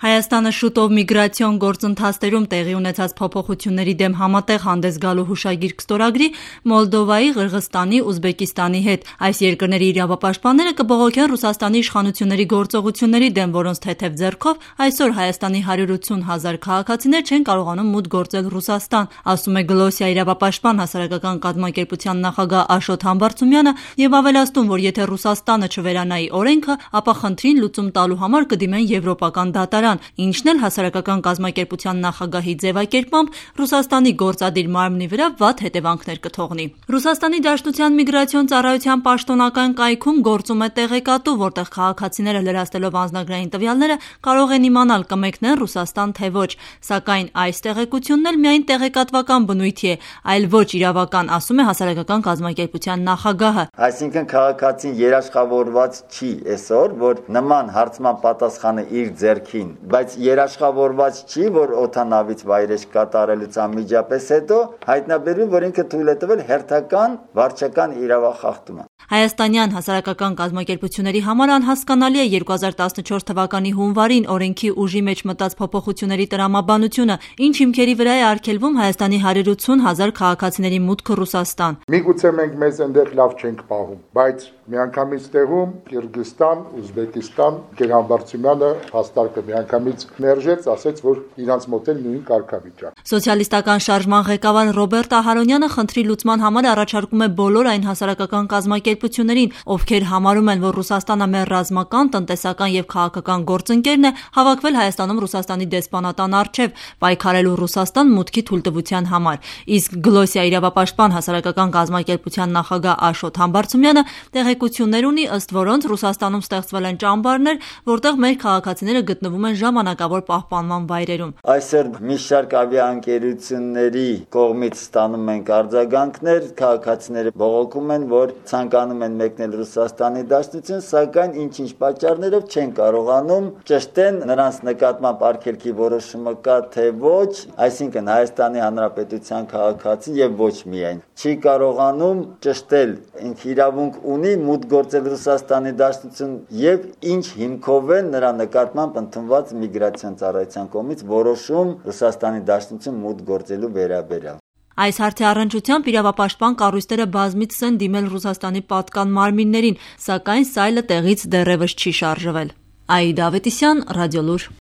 Հայաստանը շուտով միգրացիոն գործընթացներում տեղի ունեցած փոփոխությունների դեմ համատեղ հանդես գալու հուշագիր կստորագրի Մոլդովայի, Ղրղստանի, Ուզբեկիստանի հետ։ Այս երկրների իրավապաշտպանները կբողոքեն Ռուսաստանի իշխանությունների գործողությունների դեմ, որոնց թեթև ձեռքով այսօր Հայաստանի 180,000 քաղաքացիներ չեն կարողանում մուտք գործել Ռուսաստան, ասում է Գլոսիա իրավապաշտպան հասարակական կազմակերպության նախագահ Աշոտ Համբարձումյանը եւ ավելացնում, որ եթե Ռուսաստանը չվերանայի օրենքը, ապա խնդրին լուծում տալու համար կդիմեն եվրոպական դատարան, ինչն էլ հասարակական կազմակերպության նախագահի ձևակերպմամբ Ռուսաստանի գործադիր մարմնի վրա վատ հետևանքներ կթողնի։ Ռուսաստանի Դաշնության միգրացիոն ծառայության պաշտոնական կայքում գործում է տեղեկատու, որտեղ քաղաքացիները լրացնելով անձնագրային տվյալները կարող են իմանալ կմեկնեն Ռուսաստան թե ոչ, սակայն այս տեղեկությունն էլ միայն տեղեկատվական բնույթի է, այլ ոչ իրավական, ասում է հասարակական կազմակերպության նախագահը։ Այսինքն քաղաքացին երաշխավորված չի այսօր, որ նման հարցման պատասխանը իր ձեռքին, բայց երաշխավորված չի, որ օդանավից վայրէջք կատարելուց անմիջապես հետո հայտնաբերվի, որ ինքը թույլ է տվել հերթական վարչական իրավախախտումը։ Հայաստանյան հասարակական կազմակերպությունների համար անհասկանալի է 2014 թվականի հունվարին օրենքի ուժի մեջ մտած փոփոխությունների տրամաբանությունը, ինչ հիմքերի վրա է արգելվում Հայաստանի 180,000 քաղաքացիների մուտքը Ռուսաստան։ Միգուցե մենք մեզ այնտեղ լավ չենք պահում, բայց միանգամից տեղում Կիրգիզստան, Ուզբեկիստան, Գերհամբարձումյանը հաստարկը միանգամից մերժեց, ասեց, որ իրանց մոտ էլ նույն կարգավիճակ։ Սոցիալիստական շարժման ղեկավար Ռոբերտ Ահարոնյանը խնդրի լուծման համար առաջարկում է բոլոր այն հասարակական կազմակերպություններին, ովքեր համարում են, որ Ռուսաստանը մեր ռազմական, տնտեսական եւ քաղաքական գործընկերն է, հավաքվել Հայաստանում Ռուսաստանի դեսպանատան առջև, պայքարելու Ռուսաստան մուտքի թույլտվության համար։ Իսկ Գլոսիա իրավապաշտպան հասարակական կազմակերպության նախագահ Աշոտ Համբարձումյանը տեղեկություններ ունի, ըստ որոնց Ռուսաստանում ստեղծվել են ճամբարներ, որտեղ մեր քաղաքացիները գտնվում են ժամանակավոր պահպանման վայրերում։ Այսօր մի շարք ավիաընկերությունների կողմից ստանում ենք արձագանքներ, քաղաքացիները բողոքում են, որ ցանկանում են մեկնել Ռուսաստանի Դաշնություն, սակայն ինչ-ինչ պատճառներով չեն կարողանում ճշտեն նրանց նկատմամբ արգելքի որոշումը կա թե ոչ, այսինքն Հայաստանի Հանրապետության քաղաքացին եւ ոչ միայն չի կարողանում ճշտել ինքը իրավունք ունի մուտք գործել Ռուսաստանի Դաշնություն եւ ինչ հիմքով է նրա նկատմամբ ընդունված միգրացիոն ծառայության կողմից որոշում Ռուսաստանի Դաշնություն մուտք գործելու վերաբերյալ։ Այս հարցի առնչությամբ իրավապաշտպան կառույցները բազմիցս են դիմել Ռուսաստանի պատկան մարմիններին, սակայն սայլը տեղից դեռևս չի շարժվել։ Աիդա Ավետիսյան, Ռադիոլուր։